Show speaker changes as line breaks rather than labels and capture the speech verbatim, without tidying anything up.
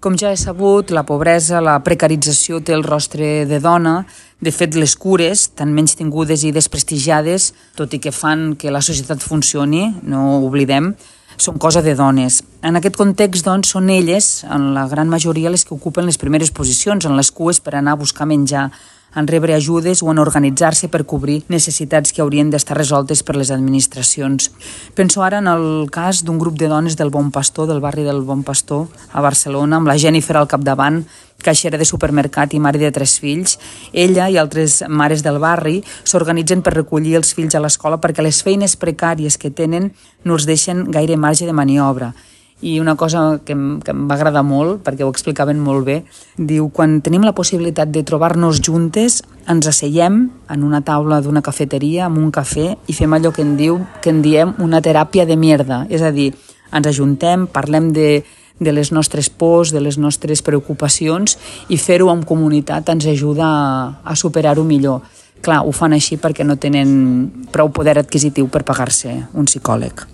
Com ja he sabut, la pobresa, la precarització té el rostre de dona. De fet, les cures, tan menystingudes i desprestigiades, tot i que fan que la societat funcioni, no ho oblidem, són cosa de dones. En aquest context, doncs, són elles, en la gran majoria, les que ocupen les primeres posicions en les cues per anar a buscar menjar, en rebre ajudes o en organitzar-se per cobrir necessitats que haurien d'estar resoltes per les administracions. Penso ara en el cas d'un grup de dones del Bon Pastor, del barri del Bon Pastor, a Barcelona, amb la Jennifer al capdavant, caixera de supermercat i mare de tres fills. Ella i altres mares del barri s'organitzen per recollir els fills a l'escola perquè les feines precàries que tenen no els deixen gaire marge de maniobra. I una cosa que em, que em va agradar molt, perquè ho explicaven molt bé, diu, quan tenim la possibilitat de trobar-nos juntes, ens asseiem en una taula d'una cafeteria, amb un cafè, i fem allò que en, diu, que en diem una teràpia de mierda. És a dir, ens ajuntem, parlem de, de les nostres pors, de les nostres preocupacions, i fer-ho en comunitat ens ajuda a, a superar-ho millor. Clar, ho fan així perquè no tenen prou poder adquisitiu per pagar-se un psicòleg.